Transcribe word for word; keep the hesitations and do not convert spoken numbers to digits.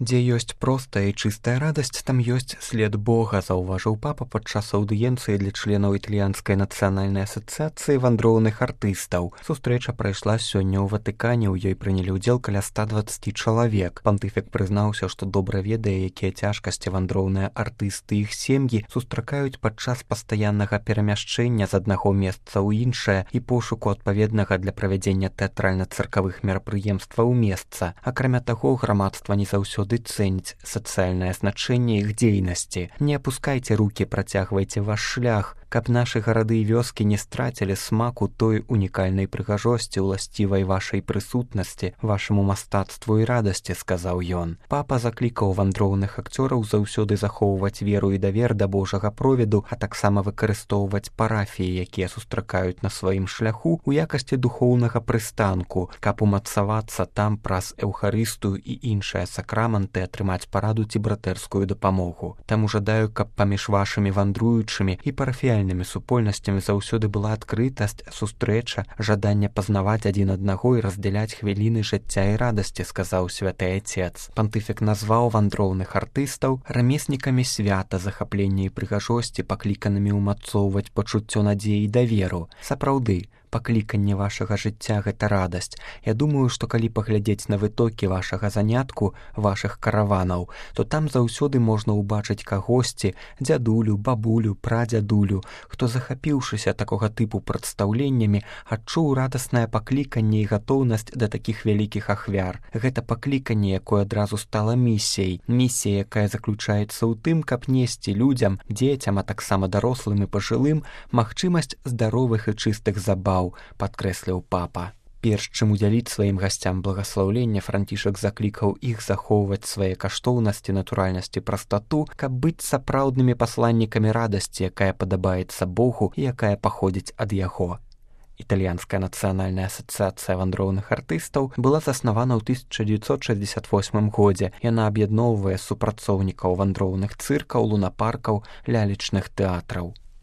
Дзе ёсць простая і чыстая радасць, там ёсць след Бога, заўважыў папа падчас аўдыенцыі для членаў італьянскай нацыянальнай асацыяцыі вандроўных артыстаў. Сустрэча прайшла сёння ў Ватыкане, у ёй прынялі ўдзел каля ста дваццаць чалавек. Пантыфік прызнаўся, што добра ведае, якія цяжкасці вандроўныя артысты і іх сем'і сустракаюць падчас пастаяннага перамяшчэння з аднаго месца ў іншае і пошуку адпаведнага для правядзення тэатральна-цыркавых мерапрыемстваў месца. Акрамя таго, грамадства не заўсёды цэніць сацыяльнае значэнне іх дзейнасці. Не апускайце рукі, працягвайце ваш шлях, каб нашы гарады і вёскі не страцілі смаку той унікальнай прыгажосці, уласцівай вашай прысутнасці, вашаму мастацтву і радасці, сказаў ён. Папа заклікаў вандроўных акцёраў заўсёды захоўваць веру і давер да Божага провіду, а таксама выкарыстоўваць парафіі, якія сустракаюць на сваім шляху у якасці духоўнага прыстанку, каб умацавацца там праз эўхарыстыю і іншыя сакраманты атрымаць параду ці братэрскую дапамогу. Таму жадаю, каб паміж вашымі вандруючымі і парафіяльнымі супольнасцямі заўсёды была адкрытасць, сустрэча, жаданне пазнаваць адзін аднаго і раздзяляць хвіліны жыцця і радасці, сказаў святы Айцец. Пантыфік назваў вандроўных артыстаў рамеснікамі свята, захаплення і прыгажосці, пакліканымі ўмацоўваць пачуццё надзеі і даверу. Сапраўды, пакліканне вашага жыцця — гэта радасць. Я думаю, што калі паглядзець на вытокі вашага занятку, вашых караванаў, то там заўсёды можна ўбачыць кагосьці, дзядулю, бабулю, прадзядулю, хто, захапіўшыся такога тыпу прадстаўленнямі, адчуў радаснае пакліканне і гатоўнасць да такіх вялікіх ахвяр. Гэта пакліканне, якое адразу стала місіяй. Місія, якая заключаецца ў тым, каб несці людзям, дзецям, а таксама дарослым і пажылым, магчымасць здаровых і чыстых забаў, падкрэсліў папа. Перш чым удзяліць сваім гасцям благаслаўлення, Францішак заклікаў іх захоўваць свае каштоўнасці, натуральнасць і прастату, каб быць сапраўднымі пасланнікамі радасці, якая падабаецца Богу і якая паходзіць ад яго. Італьянская нацыянальная асацыяцыя вандроўных артыстаў была заснавана ў тысяча дзевяцьсот шэсцьдзесят восьмым годзе. Яна аб'ядноўвае супрацоўнікаў вандроўных цыркаў, лунапаркаў, лялечных тэатраў.